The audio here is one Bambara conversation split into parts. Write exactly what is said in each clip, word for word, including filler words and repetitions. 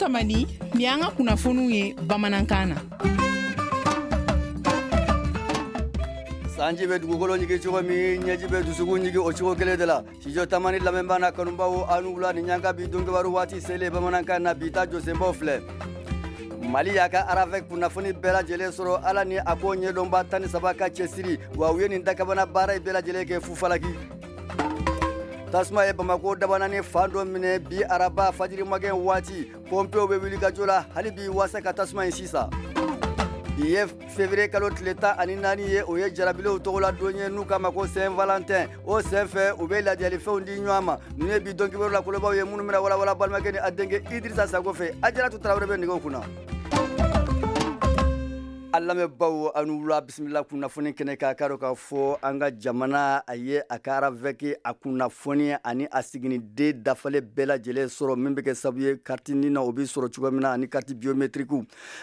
Tamani, ni an ka kunnafoniw ye bamanankan na. Sanji bɛ dugukolo ɲigi cogo min, ɲɛji bɛ dusukun ɲigi o cogo kelen de la. Studio Tamani lamɛnbaa n'a kanubaw, aw ni wula. Ni ɲanga bi donkibaru waati selen bamanankan na, bi ta jɔsenbaw filɛ. Mali y'a ka RAVEC kunnafoni bɛɛ lajɛlen sɔrɔ, Ala ni a ko ɲɛdɔnba tan ni saba ka cɛsiri wa, u ye nin dakabana baara in bɛɛ lajɛlen kɛ fufalaki. Tasuma ye Bamako dabanani fan dɔ minɛ bi araba fajiri magɛn waati. Pɔnpew bɛ wuli ka jɔ la hali bi waasa ka tasuma in sisan. Bi ye février kalo tile tan ani naani ye, o ye jarabilenw tɔgɔla don ye, n'u k'a ma ko Saint Valentin. O senfɛ, u bɛ ladiyalifɛnw di ɲɔgɔn ma. Ninnu ye bi don kibaru la kolobaw ye, minnu bɛna walawala balimakɛ ni a denkɛ Idrissa Sago fɛ. Ajaratu Tarawele bɛ nɛgɛw kunna. An lamɛnbaw, aw ni wula, bisimila kunnafoni kɛnɛ kan. K'a dɔn k'a fɔ an ka jamana a ye a ka RAVEC a kunnafoni ani a siginiden dafalen bɛɛ lajɛlen sɔrɔ, min bɛ kɛ sababu ye carte NINA o bɛ sɔrɔ cogo min na ani carte biométrique.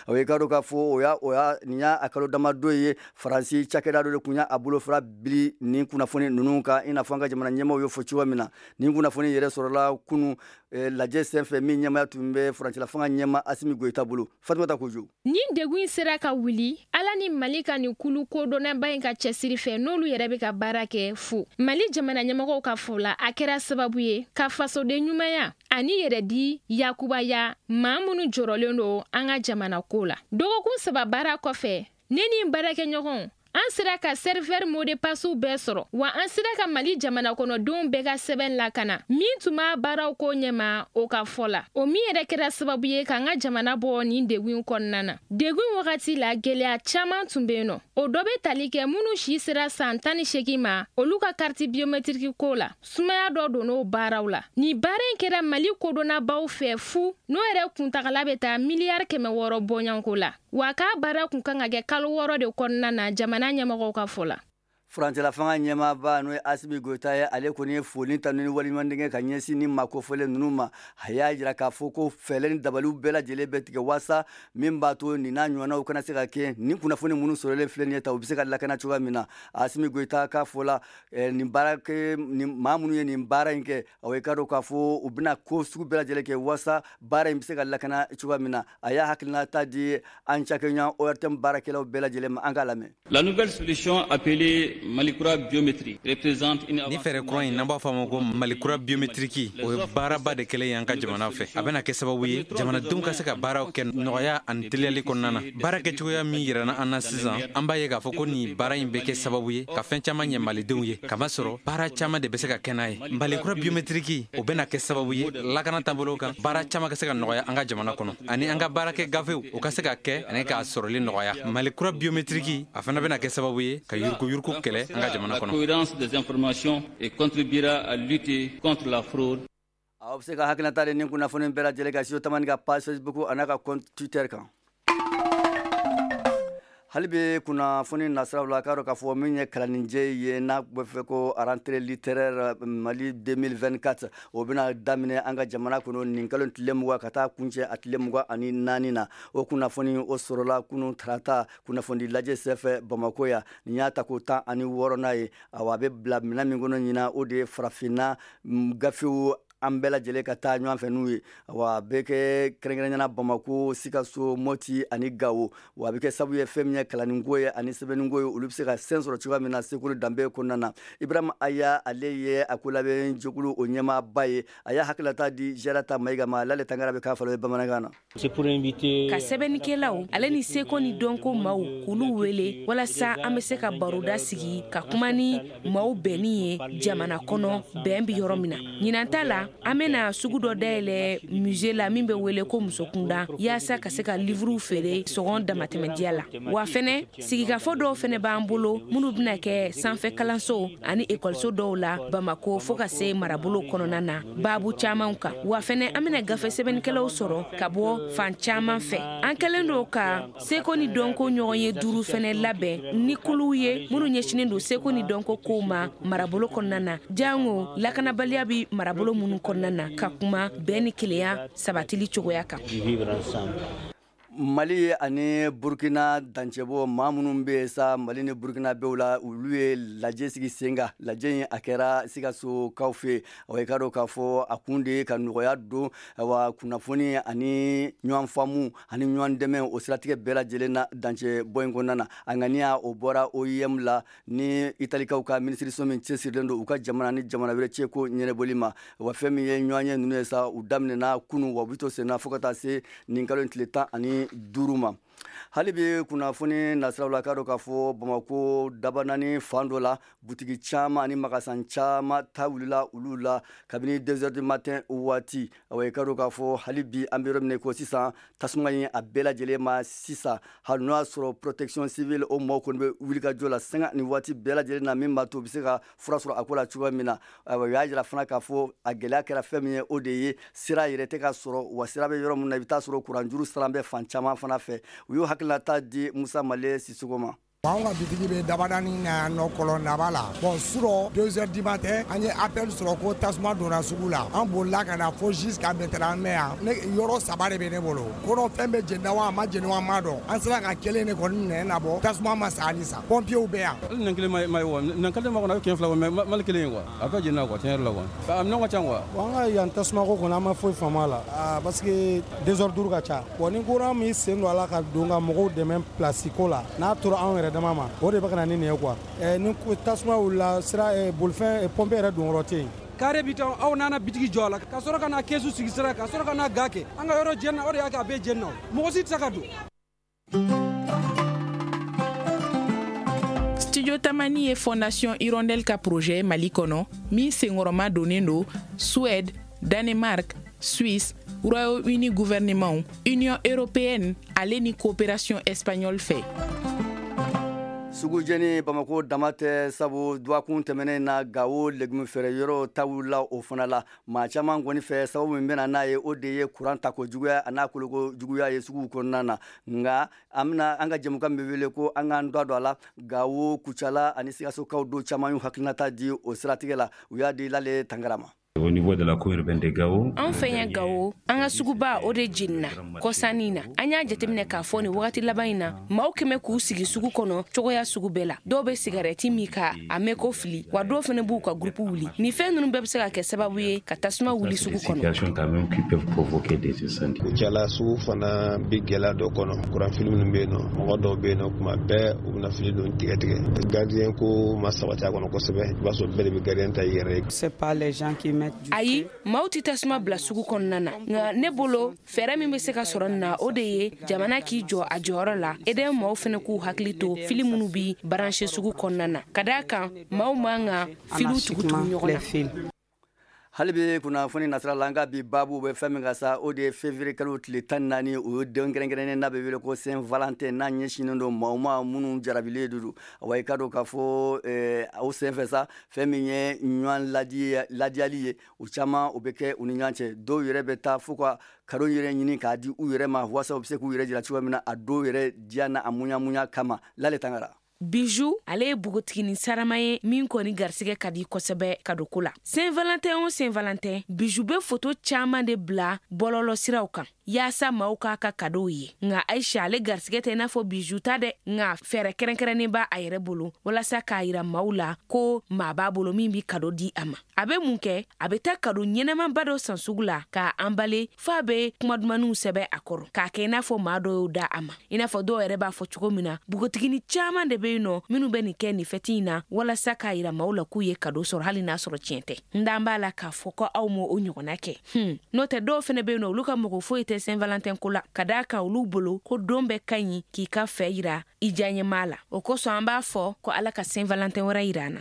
O ye k'a dɔn k'a fɔ o y'a o y'a nin y'a a kalo damadɔ ye, Faransi cakɛda dɔ de tun y'a bolofara bili nin kunnafoni ninnu kan, i n'a fɔ an ka jamana ɲɛmaaw y'o fɔ cogo min na. Nin kunnafoni yɛrɛ sɔrɔla kunu lajɛ senfɛ min ɲɛmaya tun bɛ furancɛla fanga ɲɛma Asimi Goyita bolo. Fatumata Kojo. Nin degun in sera ka wuli Ala ni Mali ka nin kulu kodɔnnaba in ka cɛsiri fɛ, n'olu yɛrɛ bɛ ka baara kɛ fu. Mali jamana ɲɛmɔgɔw ka fɔ la, a kɛra sababu ye ka fasoden ɲumanya ani yɛrɛ di yakubaya maa minnu jɔrɔlen don an ka jamana ko la. Dɔgɔkun saba baara kɔfɛ, ne ni n baarakɛɲɔgɔnw, an sera ka serveur mot de passe bɛɛ sɔrɔ wa, an sera ka Mali jamana kɔnɔdenw bɛɛ ka sɛbɛn lakana. Min tun b'a baaraw ko ɲɛma, o ka fɔ la, o min yɛrɛ kɛra sababu ye k'an ka jamana bɔ nin degun kɔnɔna na. Degun wagati la, gɛlɛya caman tun bɛ yen nɔ. O dɔ bɛ tali kɛ minnu si sera san tan ni seegin ma, olu ka carte biométrique ko la, sumaya dɔ donn'o baaraw la. Nin baara in kɛra Mali kodɔnnabaw fɛ fu, n'o yɛrɛ kuntagala bɛ taa miliyari kɛmɛ wɔɔrɔ bɔɲɔgɔnko la wa, k'a baara kun kan ka kɛ kalo wɔɔrɔ de kɔnɔna na, jamana ɲɛmɔgɔw ka fɔ la. Furancɛla fanga ɲɛmaaba, n'o ye Asimi Goyita ye, ale kɔni ye foli ta ni waleɲumandɛngɛ ka ɲɛsin ni maa kofɔlen ninnu ma. A y'a jira k'a fɔ ko fɛɛrɛ ni dabaliw bɛɛ lajɛlen bɛ tigɛ waasa min b'a to nin n'a ɲɔgɔnnaw kana se ka kɛ, nin kunnafoni minnu sɔrɔlen filɛ nin ye ta, u bɛ se ka lakana cogoya min na. Asimi Goyita k'a fɔ la, nin baara kɛ nin maa minnu ye nin baara in kɛ, o ye k'a dɔn k'a fɔ u bɛna ko sugu bɛɛ lajɛlen kɛ waasa baara in bɛ se ka lakana cogoya min na. A y'a hakilinata di an cakɛɲɔgɔn O R T M baarakɛlaw bɛɛ lajɛlen ma. An k'a lamɛn. La nouvelle solution appelée Malikura biométrie représente une Ni fɛɛrɛ kura in, n'an b'a fɔ a ma ko Malikura biométrique, o ye baaraba de kɛlen ye an ka jamana fɛ. A bɛna kɛ sababu ye jamanadenw ka se ka baaraw kɛ nɔgɔya ani teliyali kɔnɔna na. Baara kɛcogoya min yirana an na sisan, an b'a ye k'a fɔ ko nin baara in bɛ kɛ sababu ye ka fɛn caman ɲɛ malidenw ye, kamasɔrɔ baara caman de bɛ se ka kɛ n'a ye. Malikura biométrique, o bɛna kɛ sababu ye lakana taabolo kan, baara caman ka se ka nɔgɔya an ka jamana kɔnɔ, ani an ka baarakɛ gafew, o ka se ka kɛ ani k'a sɔrɔli nɔgɔya. Malikura biométrique, a fana bɛna kɛ sababu ye ka yuruguyurugu kɛlɛ an ka jamana La kɔnɔ. cohérence des informations et contribuera à lutter contre la fraude. Aw bɛ se ka hakilinata de nin kunnafoni bɛɛ lajɛlen kan Studio Tamani ka page Facebook a n'a ka compte Twitter kan. Hali bi kunnafoni nasiraw la, k'a dɔn k'a fɔ min ye kalanninjɛ ye, n'a bɛ fɛ ko rentrée littéraire Mali deux mille vingt-quatre, o bɛna daminɛ an ka jamana kɔnɔ nin kalo tile mugan ka taa kuncɛ a tile mugan ani naani na. O kunnafoni o sɔrɔla kunun tarata kunnafoni lajɛ senfɛ Bamako yan. Nin y'a ta ko tan ani wɔɔrɔnan ye. Awa, a bɛ bila minɛn min kɔnɔ ɲinan, o de ye farafinna gafew an bɛɛ lajɛlen ka taa ɲɔgɔn fɛ n'u ye. Wa a bɛ kɛ kɛrɛnkɛrɛnnenya Bamako, Sikaso, Moti ani Gawo. Wa a bɛ kɛ sababu ye fɛn min ye kalanninko ye ani sɛbɛnniko ye, olu bɛ se ka sen sɔrɔ cogoya min na seko ni danbe kɔnɔna na. Ibrahima Aya, ale ye a ko labɛn jɛkulu o ɲɛmaaba ye. A y'a hakililata di Jarata Mayiga ma. Lale Tangara bɛ k'a fɔlɔ ye bamanankan na. Ka sɛbɛnnikɛlaw ale ni seko ni dɔnko maaw k'olu wele walasa an bɛ se ka baroda sigi ka kuma ni maaw bɛnni ye jamana kɔnɔ, bɛn bɛ yɔrɔ min na. Ɲinan ta la, an bɛna sugu dɔ dayɛlɛ musée la min bɛ wele ko Musokunda, yaasa ka se ka livrew feere sɔngɔ damatɛmɛdiya la. Wa fɛnɛ, sigikafɔ dɔw fɛnɛ b'an bolo minnu bɛna kɛ sanfɛ kalanso ani ekɔliso dɔw la Bamako fɔɔ ka se marabolo kɔnɔna na, baabu camanw kan. Wa fɛnɛ, an bɛna gafe sɛbɛnnikɛlaw sɔrɔ ka bɔ fan caman fɛ. An kɛlen don ka seko ni dɔnko ɲɔgɔn ye duuru fɛnɛ labɛn ni kuluw ye minnu ɲɛsinen don seko ni dɔnko kow ma marabolo kɔnɔna na, jango lakanabaliya bi marabolo minnu kɔnɔna na, ka kuma bɛn ni kelenya sabatili cogoya kan. Mali ani Burkina dancɛbɔ maa minnu bɛ yen sa, Mali ni Burkina bɛɛ la, olu ye lajɛ sigi sen kan. Lajɛ in, a kɛra Sikasokaw fɛ yen. I ka dɔn k'a fɔ a kun de ye ka nɔgɔya don wa kunnafoni ani ɲɔgɔn faamu ani ɲɔgɔn dɛmɛ, o siratigɛ bɛɛ lajɛlen na dancɛ bɔ in kɔnɔna na. A ŋaniya, o bɔra O I M la ni Italikaw ka minisiriso min cɛsirilen don u ka jamana ni jamana wɛrɛ cɛ ko ɲɛnabɔli ma. Wa fɛn min ye ɲɔgɔn ye ninnu ye sa, u daminɛna kunun, wa u bɛ to senna fo ka taa se nin kalo in tile tan ani duuru ma. Hali bi kunnafoni nasiraw la, k'a dɔn k'a fɔ Bamako Dabanani fan dɔ la, butigi caman ani magasin caman ta wulila olu la kabini deux heures du matin waati. Awa, i ka dɔn k'a fɔ hali bi an bɛ yɔrɔ min na ko sisan, tasuma in a bɛɛ lajɛlen ma sisan, hali n'o y'a sɔrɔ protection civile o maaw kɔni bɛ wulikajɔ la sanga ni waati bɛɛ lajɛlen na, min b'a to u bɛ se ka fura sɔrɔ a ko la cogoya min na. Ayiwa, u y'a jira fana k'a fɔ a gɛlɛya kɛra fɛn min ye, o de ye sira yɛrɛ tɛ ka sɔrɔ. Wa sira bɛ yɔrɔ min na, i bɛ taa sɔrɔ kuranjuru sira bɛ fan caman fana fɛ. U y'u hakilinata di Musa Male Sisoko ma. Anw ka bitigi bɛ Dabadani na yan nɔ, kɔlɔndaba la. Bon, surɔ deux heures du matin, an ye appel sɔrɔ ko tasuma donna sugu la. An bolila ka na fo jusqu'à maintenant an bɛ yan. Ne yɔrɔ saba de bɛ ne bolo kɔnɔ, fɛn bɛ jeni wa a ma jeni wa, an m'a dɔn. An sera ka kelen de kɔni minɛ nabɔ, tasuma ma sa halisa, pompiers bɛ yan. Hali nɛn kelen ma ye wa, nɛn kelen ma kɔnɔ, a bɛ kɛmɛ fila bɔ, mais mali kelen ye quoi, a bɛɛ jenina quoi, tiɲɛ yɛrɛ la quoi, a minɛnw ka ca quoi. Bon, an ka yan tasuma ko kɔni, an ma foyi faamu a la, parce que désordre ka ca. Bon, ni courant min sen don a la ka don ka mɔgɔw dɛmɛ place ko la, n'a tora anw yɛrɛ dama ma, o de bɛ ka na ni nin ye quoi. Ni tasuma wulila, sira bolifɛn pompe yɛrɛ don yɔrɔ tɛ yen. Kare bi aw nana bitigi jɔ a la, ka sɔrɔ ka na kɛsu sigi sira, ka sɔrɔ ka na ga kɛ an ka yɔrɔ jɛnna. O de y'a kɛ a bɛɛ jɛnna, mɔgɔ si tɛ se ka don. Studio Tamani ye Fondation Hirondelle ka projet Mali kɔnɔ min senkɔrɔma donnen don Suède, Danemark, Suisse, Royaume-Uni gouvernement, Union européenne ale ni coopération espagnole fɛ. Sugujɛni Bamako dama tɛ, sabu dɔgɔkun tɛmɛnen na, Gawo légume feere yɔrɔ ta wulila o fana la. Maa caman kɔni fɛ, sababu min bɛna n'a ye, o de ye kuran tako juguya a n'a koloko juguya ye suguw kɔnɔna na. Nka an bɛna an ka jɛmukan bɛ wele ko an k'an da don a la. Gawo, Kucala ani Sikasokaw don caman y'u hakilinata di o siratigɛ la. U y'a di Lale Tangara ma. Au niveau de la cour urbaine de Gao. An fɛ yan Gawo, an ka suguba, o de jenina kɔsannin na. An y'a jateminɛ k'a fɔ nin wagati laban in na, maaw kɛmɛ k'u sigi sugu kɔnɔ cogoya sugu bɛɛ la. Dɔw bɛ sigarɛti min ka a mɛn ko fili wa, dɔw fana b'u ka gurupu wuli. Nin fɛn ninnu bɛɛ bɛ se ka kɛ sababu ye ka tasuma wuli sugu kɔnɔ. Kucala sugu fana bɛ gɛlɛya dɔ kɔnɔ. Kuran fili minnu bɛ yen nɔ, mɔgɔ dɔw bɛ yen nɔ, kuma bɛɛ u bɛna fili don tigɛ tigɛ. Gardien ko ma sabati a kɔnɔ kosɛbɛ, i b'a sɔrɔ bɛɛ de bɛ gardien ta i yɛrɛ ye. Ayi, maaw tɛ tasuma bila sugu kɔnɔna na. Nka ne bolo, fɛɛrɛ min bɛ se ka sɔrɔ nin na, o de ye jamana k'i jɔ a jɔyɔrɔ la, E D M maaw fana k'u hakili to fili minnu bi branché sugu kɔnɔna na, ka d'a kan maaw man ka filiw tugu-tugu ɲɔgɔn na. Hali bi kunnafoni nasira la, an ka bi baabu bɛ fɛn min ka sa, o de ye février kalo tile tan naani, o ye don kɛrɛnkɛrɛnnen n'a bɛ wele ko Saint Valentin, n'a ɲɛsinnen don maaw ma minnu jarabilen de don. Wa i ka dɔn k'a fɔ o senfɛ sa, fɛn min ye ɲɔgɔn ladiyali ye, o caman o bɛ kɛ u ni ɲɔgɔn cɛ. Dɔw yɛrɛ bɛ taa fo ka cadeau yɛrɛ ɲini k'a di u yɛrɛ ma, walasa u bɛ se k'u yɛrɛ jira cogoya min na a dɔw yɛrɛ diya n'a muɲa kama. Lale Tangara. Bijou, ale ye npogotiginin sarama ye min kɔni garisɛgɛ ka di kosɛbɛ kadoko la. Saint Valentin o Saint Valentin, Bijou bɛ foto caaman de bila bɔlɔlɔ siraw kan yaasa maaw k'a ka cadeauw ye. Nka Aisha, ale garisɛgɛ tɛ i n'a fɔ Bijou ta dɛ, nka fɛɛrɛ kɛrɛnkɛrɛnnen b'a a yɛrɛ bolo walasa k'a yira maaw la ko maa b'a bolo min bi cadeau di a ma. A bɛ mun kɛ? A bɛ taa cadeau ɲɛnɛmanba dɔ san sugu la k'a emballer, f'a bɛ kumadumaniw sɛbɛn a kɔrɔ k'a kɛ i n'a fɔ maa dɔ y'o da a ma, i n'a fɔ dɔw yɛrɛ b'a fɔ cogo min na. Npogotiginin caaman de bɛ yen nɔ minnu bɛ nin kɛ nin fɛti in na walasa k'a yira maaw la k'u ye cadeau sɔrɔ, hali n'a sɔrɔ tiɲɛ tɛ. N d'an b'a la k'a fɔ ko aw m'o o ɲɔgɔnna kɛ. hmm. n'o tɛ, dɔw fɛnɛ bɛ yen nɔ, olu ka mɔgɔ foyi tɛ Saint Valentin ko la, ka d'a kan olu bolo ko don bɛɛ ka ɲi k'i ka fɛ yira i diyaɲɛmaa la. O kosɔn an b'a fɔ ko Ala ka Saint Valentin wɛrɛ yira an na.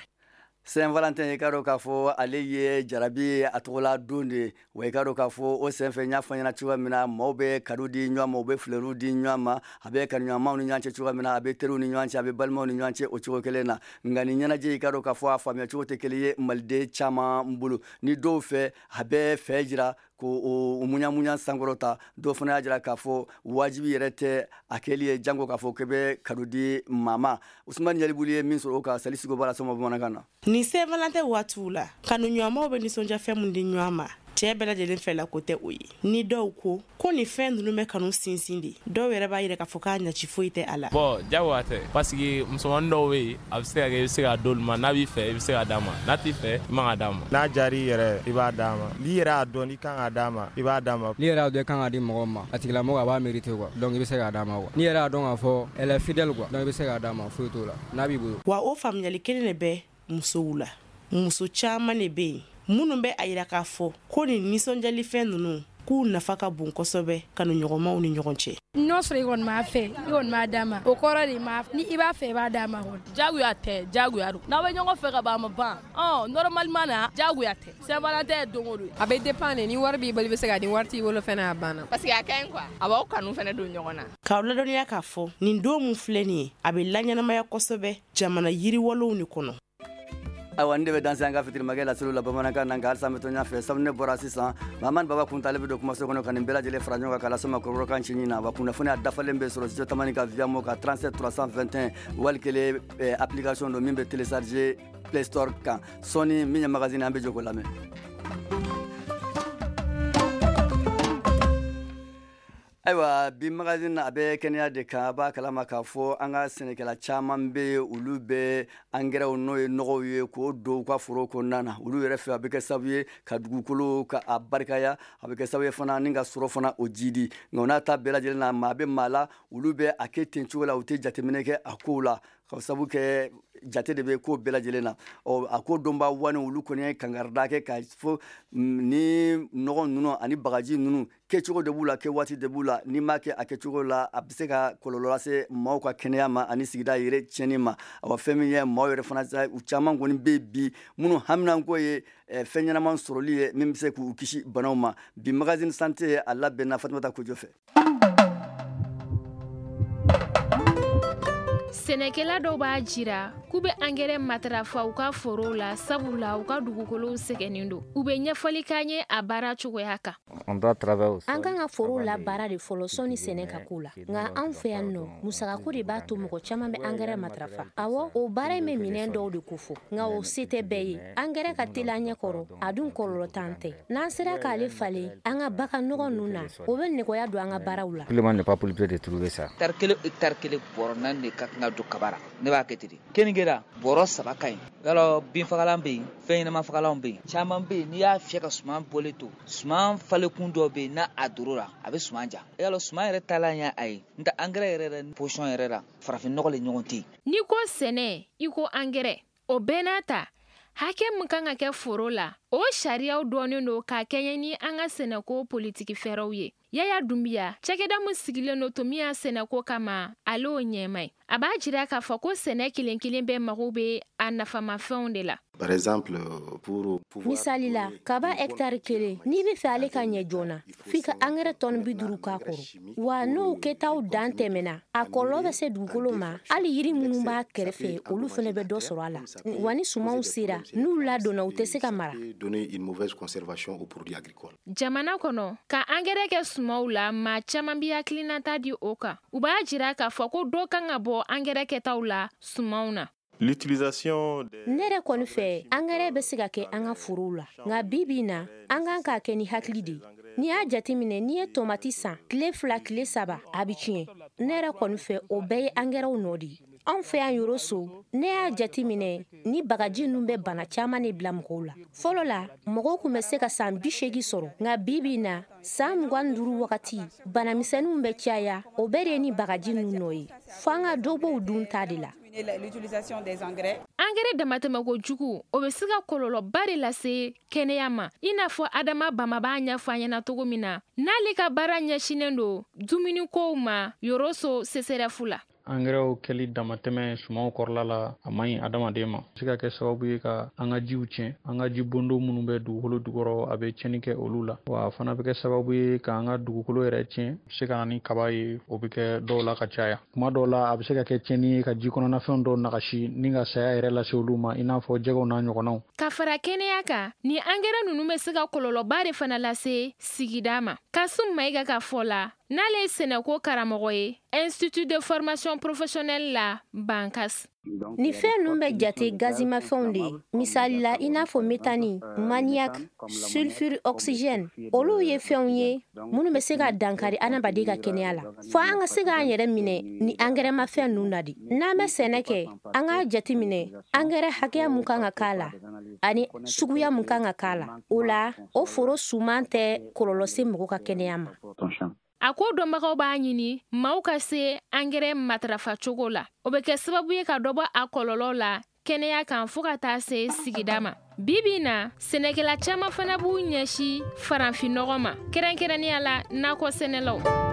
Saint Valentin, i ka dɔn k'a fɔ ale ye jarabi a tɔgɔla don de ye. Wa i ka dɔn k'a fɔ o senfɛ, n y'a fɔ ɲɛna cogoya min na, maaw bɛ cadeau di ɲɔgɔn ma, u bɛ fleurw di ɲɔgɔn ma. A bɛ kanuɲɔgɔnmaw ni ɲɔgɔn cɛ cogoya min na, a bɛ teriw ni ɲɔgɔn cɛ, a bɛ balimaw ni ɲɔgɔn cɛ o cogo kelen na. Nka nin ɲɛnajɛ, i ka dɔn k'a fɔ a faamuya cogo tɛ kelen ye maliden caman bolo. Ni dɔw fɛ, a bɛ fɛ jira ko o muɲamuɲa sankɔrɔta, dɔw fana y'a jira k'a fɔ wajibi yɛrɛ tɛ a kɛli ye, jango k'a fɔ k'i bɛ cadeau di maa ma. Usumani Jalibuli ye min sɔrɔ o kan, Sali Sigo b'a la sɔma bamanankan na. Ni Saint Valentin waatiw la, kanuɲɔgɔnmaw bɛ nisɔndiya fɛn mun di ɲɔgɔn ma. Cɛɛ bɛɛ lajɛlen fɛla ko tɛ o ye. Ni dɔw ko ko nin fɛn ninnu bɛ kanu sinsin de, dɔw yɛrɛ b'a yira k'a fɔ k'a ɲaci foyi tɛ a la. Bon, jagoya tɛ, parce que musomanin dɔw bɛ yen, a bɛ se ka kɛ i bɛ se k'a d'olu ma, n'a b'i fɛ i bɛ se k'a d'a ma, n'a t'i fɛ i man ka d'a ma. N'a diyar'i yɛrɛ i b'a d'a ma, n'i yɛrɛ y'a dɔn n'i kan k'a d'a ma i b'a d'a ma. N'i yɛrɛ y'a dɔn i kan k'a di mɔgɔ ma, a tigilamɔgɔ a b'a mériter quoi, donc i bɛ se k'a d'a ma quoi. N'i yɛrɛ y'a dɔn k'a fɔ elle est fidèle quoi, donc i bɛ se k'a d'a ma, foyi t'o la n'a b'i bolo. Wa o faamuyali kelen de bɛ musow la. Muso caman de bɛ yen minnu bɛ a yira k'a fɔ ko nin nisɔndiyalifɛn ninnu k'u nafa ka bon kosɛbɛ kanuɲɔgɔnmaw ni ɲɔgɔn cɛ. N'o sɔrɔ i kɔni m'a fɛ, i kɔni m'a d'a ma, o kɔrɔ de ma ni i b'a fɛ i b'a d'a ma kɔni. Jagoya tɛ, jagoya don. N'aw bɛ ɲɔgɔn fɛ ka ban a ma ban. Ɔ normalement na jagoya tɛ. Saint-Valentin ye don o don. A bɛ dépend de, ni wari b'i bolo i bɛ se k'a di, wari t'i bolo fɛnɛ a banna. Parce que a ka ɲi quoi, a b'aw kanu fɛnɛ don ɲɔgɔn na. K'aw ladɔnniya k'a fɔ nin don mun filɛ nin ye, a bɛ laɲɛnamaya kosɛbɛ jamana yiriwalew de kɔnɔ. Ayiwa, nin de bɛ dan an ka fitirimakɛ laseliw la bamanankan na, nka halisa an bɛ to ɲɛfɛ. Sabu ne bɔra sisan, Mahamani Baba Kunta ale bɛ don kumaso kɔnɔ ka nin bɛɛ lajɛlen fara ɲɔgɔn kan k'a lase ma kɔrɔbɔrɔkan cinin na. Wa kunnafoniya dafalen bɛ sɔrɔ studio Tamani ka via mo ka trente-sept trois cent vingt et un wali kelen application don min bɛ télécharger Play Store kan. Sɔɔni min ye magazine, an bɛ jɔ k'o lamɛn. Ayiwa, bi magazine a bɛ kɛnɛya de kan. A b'a kalama k'a fɔ an ka sɛnɛkɛla caman bɛ yen, olu bɛ angɛrɛw, n'o ye nɔgɔw ye, k'o don u ka foro kɔnɔna na. Olu yɛrɛ fɛ, a bɛ kɛ sababu ye ka dugukolo ka a barikaya, a bɛ kɛ sababu ye fana ni ka sɔrɔ fana o jidi. Nka o n'a ta bɛɛ lajɛlen na, maa bɛ maa la, olu bɛ a kɛ ten cogo la, u tɛ jateminɛ kɛ a kow la, ka sababu kɛ jate de bɛ ko bɛɛ lajɛlen na. Ɔ a ko dɔnba wani, olu kɔni ye kangarida kɛ ka fɔ ni nɔgɔ ninnu ani bagaji ninnu, kɛcogo de b'u la, kɛ waati de b'u la. N'i m'a kɛ a kɛcogo la, a bɛ se ka kɔlɔlɔ lase maaw ka kɛnɛya ma ani sigida yɛrɛ tiɲɛni ma. Awa, fɛn min ye maaw yɛrɛ fana, u caman kɔni bɛ bi minnu haminanko ye fɛn ɲɛnama sɔrɔli ye min bɛ se k'u kisi banaw ma. Bi magazine santé, a labɛnna Fatumata Kojo fɛ. Sɛnɛkɛla dɔw b'a jira k'u bɛ angɛrɛ matarafa u ka forow la, sabula u ka dugukolow sɛgɛnnen don. U bɛ ɲɛfɔli k'an ye a baara cogoya kan. An kan ka forow la baara de fɔlɔ sɔnni sɛnɛ ka k'u la, nka anw fɛ yan nɔ, musakako de b'a to mɔgɔ caman bɛ angɛrɛ matarafa. Awɔ, o baara in bɛ minɛn dɔw de kofɔ, nka o se tɛ bɛɛ ye. Angɛrɛ ka teli an ɲɛ kɔrɔ, a dun kɔlɔlɔ t'an tɛ. N'an sera k'ale falen an ka bagan nɔgɔ ninnu na, o bɛ nɔgɔya don an ka baaraw la. Hectare kelen, hectare kelen, bɔrɔ naani de ka kan ka don kaba la. Ne b'a kɛ ten de. Keninge la, bɔrɔ saba ka ɲi. Yalɔ, binfagalan bɛ yen, fɛn ɲɛnama fagalanw bɛ yen, caman bɛ yen. N'i y'a fiyɛ ka suman bɔlen to, suman falenkun dɔw bɛ yen, n'a a dor'o la, a bɛ suman ja. Yalɔ, suman yɛrɛ taalan ye a ye. N tɛ angɛrɛ yɛrɛ yɛrɛ position yɛrɛ la, farafin nɔgɔ le ɲɔgɔn tɛ yen. N'i ko sɛnɛ, i ko angɛrɛ. O bɛɛ n'a ta, hakɛ min kan ka kɛ foro la, o sariyaw dɔɔnin don ka kɛɲɛ ni an ka sɛnɛko politiki fɛɛrɛw ye. Yaya Dunbiya, cakɛda min sigilen don Tomiya sɛnɛko kama, ale y'o ɲɛma ye. A b'a jira k'a fɔ ko sɛnɛ kelen kelen bɛɛ mago bɛ a nafamafɛnw de la. Par exemple, pour pouvoir Misali la, kaba hectare kelen, n'i bɛ fɛ ale ka ɲɛ joona, f'i ka angɛrɛ tɔni bi duuru k'a kɔrɔ. Wa n'o kɛtaw dan tɛmɛna, a kɔlɔlɔ bɛ se dugukolo ma. Hali yiri minnu b'a kɛrɛfɛ, olu fana bɛ dɔ sɔrɔ a la. Wa ni sumanw sera, n'u ladonna, u tɛ se ka mara. Donner une mauvaise conservation aux produits agricoles. Jamana kɔnɔ, ka angɛrɛ kɛ sumanw la, maa caman bɛ hakilinata di o kan. U b'a jira k'a fɔ ko dɔ kan ka bɔ angɛrɛ kɛtaw la sumanw na. L'utilisation des Ne yɛrɛ kɔni fɛ, angɛrɛ bɛ se ka kɛ an ka forow la, nka bi bi in na, an kan k'a kɛ ni hakili de ye. N'i y'a jateminɛ, n'i ye tomati san, tile fila, tile saba, a bɛ tiɲɛ. Ne yɛrɛ kɔni fɛ, o bɛɛ ye angɛrɛw nɔ de ye. Anw fɛ yan Yoroso, ne y'a jateminɛ ni bagaji ninnu bɛ bana caman de bila mɔgɔw la. Fɔlɔ la, mɔgɔw tun bɛ se ka san bi seegin sɔrɔ, nka bi bi in na, san mugan ni duuru wagati, banamisɛnninw bɛ caya. O bɛɛ de ye ni bagaji ninnu nɔ ye. Fo an ka dɔ bɔ u dun ta de la. L'utilisation des engrais. Angɛrɛ damatɛmɛko jugu, o bɛ se ka kɔlɔlɔba de lase kɛnɛya ma, i n'a fɔ Adama Bama b'a ɲɛfɔ an ɲɛna cogo min na, n'ale ka baara ɲɛsinnen don dumunikow ma Yoroso C S R F la. Angɛrɛw kɛli damatɛmɛ sumanw kɔrɔla la, a man ɲi adamaden ma. Se ka kɛ sababu ye ka an ka jiw tiɲɛ, an ka ji bondo minnu bɛ dugukolo jukɔrɔ, a bɛ tiɲɛni kɛ olu la. Wa a fana bɛ kɛ sababu ye k'an ka dugukolo yɛrɛ tiɲɛ. A bɛ se ka na ni kaba ye, o bɛ kɛ dɔw la ka caya. Kuma dɔw la, a bɛ se ka kɛ tiɲɛni ye ka ji kɔnɔnafɛnw dɔw nagasi ni ka saya yɛrɛ lase olu ma, i n'a fɔ jɛgɛw n'a ɲɔgɔnnaw. Ka fara kɛnɛya kan, ni angɛrɛ ninnu bɛ se ka kɔlɔlɔba de fana lase sigida ma. Kasum Mayiga ka fɔ la, N'ale ye sɛnɛko karamɔgɔ ye Institut de formation professionnelle la Bankas. Nin fɛn ninnu bɛ jate gazimafɛnw de ye, misali la i n'a fɔ metani, maniak, sulfure oxygène. Olu ye fɛnw ye minnu bɛ se ka dankari adamaden ka kɛnɛya la. Fo an ka se k'an yɛrɛ minɛ ni angɛrɛmafɛn ninnu na de. N'an bɛ sɛnɛ kɛ, an k'a jateminɛ angɛrɛ hakɛya mun kan ka k'a la ani suguya mun kan ka k'a la. O la, o foro suman tɛ kɔlɔlɔ se mɔgɔ ka kɛnɛya ma. A ko dɔnbagaw b'a ɲini maaw ka se angɛrɛ matarafa cogo la. O bɛ kɛ sababu ye ka dɔ bɔ a kɔlɔlɔ la kɛnɛya kan fo ka taa se sigida ma. Bi bi in na, sɛnɛkɛla caman fana b'u ɲɛsin farafinnɔgɔ ma, kɛrɛnkɛrɛnnenya la nakɔ sɛnɛlaw.